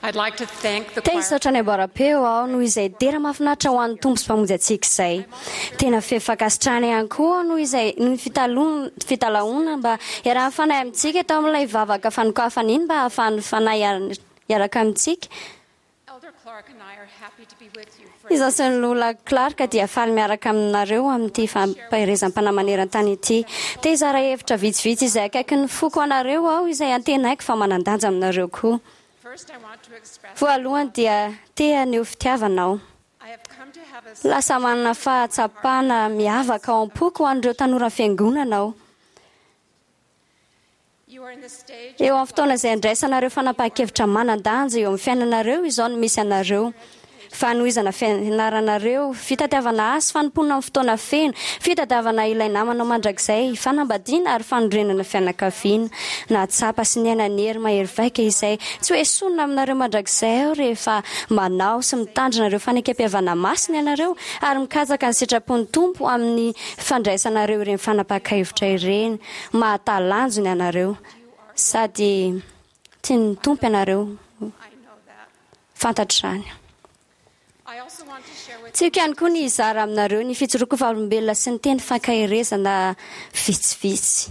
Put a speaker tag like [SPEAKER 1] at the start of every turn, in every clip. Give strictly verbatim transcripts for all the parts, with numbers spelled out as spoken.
[SPEAKER 1] Te hisaotra ny amboaram-peo aho noho izay dera mahafinaritra ho an'ny Tompo sy Mpamonjy antsika izay. Tena feno fankasitrahana ihany koa aho noho izay noho ny fitaloha fitalahoana mba hiarahan'ny Fanahy amintsika tao amin'ilay vavaka fanokafana iny mba hahafahan'ny Fanahy hiaraka amintsika. Izaho sy ny Lola Clark dia faly miaraka aminareo amin'ity fampaherezam-panahy maneran-tany ity. Te hizara hevitra vitsivitsy izay akaikin'ny foko anareo aho izay antenaiko fa manan-danja aminareo koa. Voalohany dia te haneho fitiavana aho. Lasa manana fahatsapana miavaka ao am-poko ho an'ireo tanoran'ny Fiangonana aho. Eo amin'ny fotoana izay andraisanareo fanapahan-kevitra manan-danja eo amin'ny fiainanareo izao no misy anareo. Fanohizana fianaranareo, fitadiavana asa, fanompoana amin'ny fotoana feno, fitadiavana ilay namanao mandrakizay, fanambadiana ary fanorenana fianakaviana. Nahatsapa sy niaina ny hery mahery vaika izay tsy ho esorina aminareo mandrakizay aho rehefa manao sy mitandrina ireo fanekempihavanana masina ianareo ary mikatsaka ny sitrapon'ny Tompo amin'ny fandraisanareo ireny fanapahan-kevitra ireny. Mahatalanjona ianareo sady tian'ny Tompo ianareo. Fantatro izany. Tiako ihany koa ny hizara aminareo ny fijoroako vavolombelona sy ny teny fankaherezana vitsivitsy.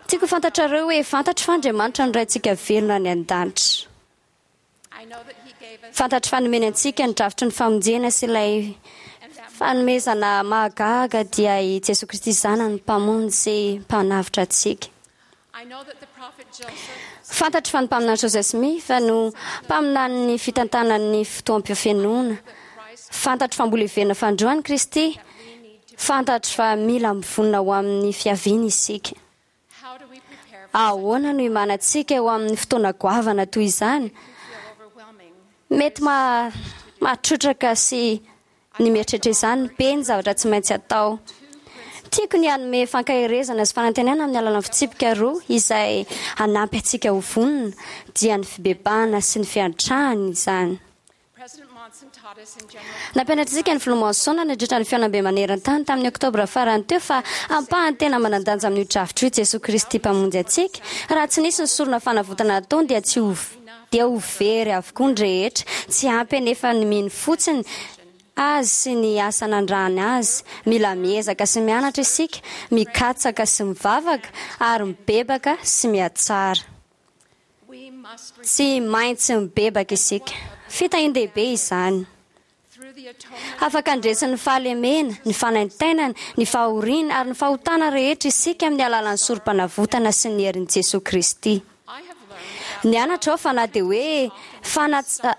[SPEAKER 1] Tiako ho fantatrareo hoe fantatro fa Andriamanitra no Raintsika velona any an-danitra. Fantatro fa nomeny antsika ny drafitry ny famonjena sy ilay fanomezana mahagaga dia i Jesoa Kristy Zanany Mpamonjy sy Mpanavotra antsika. Fantatro fa ny mpaminany Joseph Smith no mpaminanin'ny fitantanan'ny fotoam-pihafenoana. Fantatro fa mbola hiverina fanindroany Kristy. Fantatro fa mila mivonona ho amin'ny fiaviany isika. Ahoana no himanantsika eo amin'ny fotoana goavana toy izany? Mety mahatrotraka sy ny mieritreritra izany, be ny zavatra tsy maintsy atao. Tiako ny hanome fankaherezana sy fanantenana amin'ny alalan'ny fitsipika roa izay hanampy antsika ho vonona, dia ny fibebahana sy ny fiantrahana izany. Nampianatra antsika ny Filoha Monson nandritra ny fihaonambe maneran-tany tamin'ny Oktobra farany teo fa ampahany tena manan-danja amin'io drafitra io Jesoa Kristy Mpamonjy antsika. Raha tsy nisy ny sorona fanavotana nataony dia tsy ho dia ho very avokoa ny rehetra. Tsy ampy anefa ny mino fotsiny Azy sy ny asa nandrahany Azy. Mila miezaka sy mianatra isika, mikatsaka sy mivavaka, ary mibebaka sy mihatsara. Tsy maintsy mibebaka isika. Fitahian-dehibe izany. Afaka handresy ny fahalemena, ny fanaintainana, ny fahoriana ary ny fahotana rehetra isika amin'ny alalan'ny Sorompanavotana sy ny herin'i Jesoa Kristy. Nianatra aho fa na dia hoe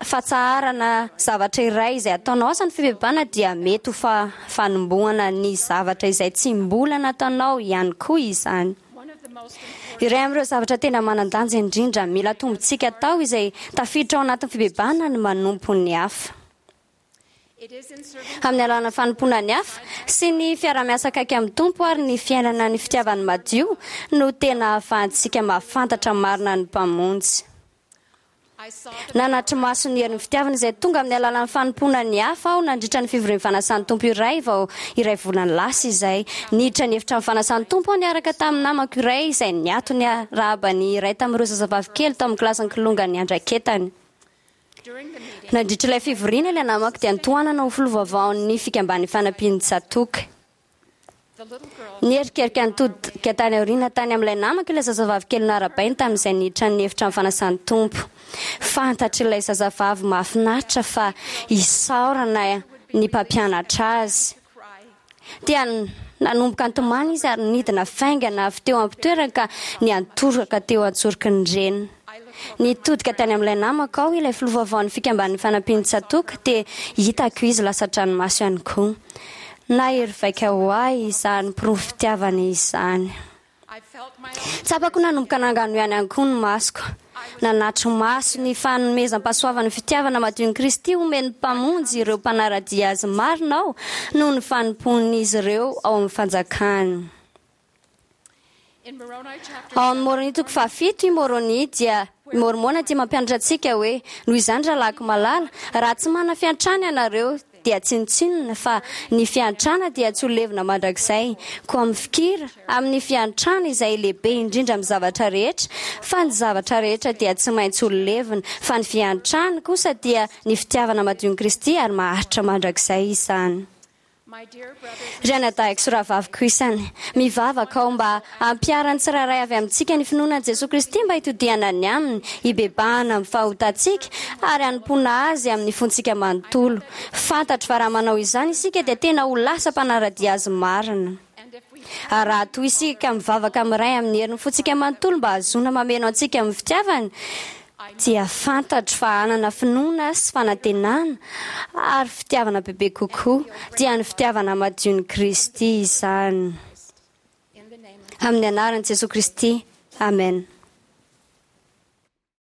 [SPEAKER 1] fatsaharana zavatra iray izay ataonao aza ny fibebahana dia mety ho fanombohana ny zavatra izay tsy mbola nataonao ihany koa izany. Iray amin'ireo zavatra tena manan-danja indrindra mila tombontsika atao izay tafiditra ao anatin'ny fibebahana ny manompo ny hafa. Amin'ny alalan'ny fanompoana ny hafa, sy ny fiaraha-miasa akaiky amin'ny Tompo ary ny fiainana ny fitiavany madio no tena ahafahantsika mahafantatra marina ny Mpamonjy. Nanatri-maso ny herin'ny fitiavana izay tonga amin'ny alalan'ny fanompoana ny hafa aho nandritra ny fivorian'ny fanasan'ny Tompo iray vao iray volana lasa izay. Niditra ny efitrano fanasan'ny Tompo aho niaraka tamin'ny namako iray izay niato niarahaba ny iray tamin'ireo zazavavy kely tao amin'ny kilasin'ny kilonga niandraiketany. Nandritra ilay fivoriana, ilay namako dia notohanana ho filoha vaovaon'ny Fikamban'ny Fanampian'ny Tsatòka. Nierikerika nitodika tany aoriana tany amin'ilay namako ilay zazavavy kely noharabainy tamin'izay niditra ny efitrano fanasan'ny Tompo. Fantatr'ilay zazavavy mahafinaritra fa isaorana ny mpampianatra azy. Dia nanomboka nitomany izy ary nidina faingana avy teo am-pitoerany ka niantoraka teo an-tsoroky ny reniny. Nitodika tany amin'ilay namako aho, ilay filoha vaovaon'ny Fikamban'ny Fanampian'ny Tsatòka, dia hitako izy lasa-dranomaso ihany koa. Nahery vaika ho ahy izany porofom-pitiavana izany. Tsapako nanomboka nangano ihany ihany koa ny masoko. Nanatri-maso ny fanomezam-pahasoavan'ny fitiavana madion'i Kristy omen'ny Mpamonjy ireo mpanara-dia Azy marina aho noho ny fanompoan'izy ireo ao amin'ny fanjakany. Ao amin'ny Môrônia toko fahafito, i Môrônia dia i Môrmôna dia mampianatra antsika hoe, Noho izany, rahalahiko malala, raha tsy manana fiantrana ianareo, dia tsinontsinona, fa ny fiantrana dia tsy ho levona mandrakizay. Koa mifikira amin'ny fiantrana izay lehibe indrindra amin'ny zavatra rehetra, fa ny zavatra rehetra dia tsy maintsy ho levona, fa ny fiantrana kosa dia ny fitiavana madion'i Kristy ary maharitra mandrakizay izany.
[SPEAKER 2] My dear brothers
[SPEAKER 1] Ry anadahiko sy rahavaviko isany, mivavaka aho mba hampiharan'ny tsirairay avy amintsika ny finoana an'i Jesoa Kristy mba hitodihana any aminy, hibebahana amin'ny fahotantsika ary hanompoana azy amin'ny fontsika manontolo. Fantatro fa raha manao izany isika dia tena ho lasa mpanara-dia azy marina.
[SPEAKER 2] And if we
[SPEAKER 1] Ary raha toa isika mivavaka amin'ny Ray amin'ny herin'ny fontsika manontolo mba hahazoana mameno antsika amin'ny fitiavany, dia fantatro fa hanana finoana sy fanantenana ary fitiavana bebe kokoa, dia ny fitiavana madion'i Kristy izany.
[SPEAKER 2] In the name of
[SPEAKER 1] Amin'ny anaran'i Jesoa Kristy, amen.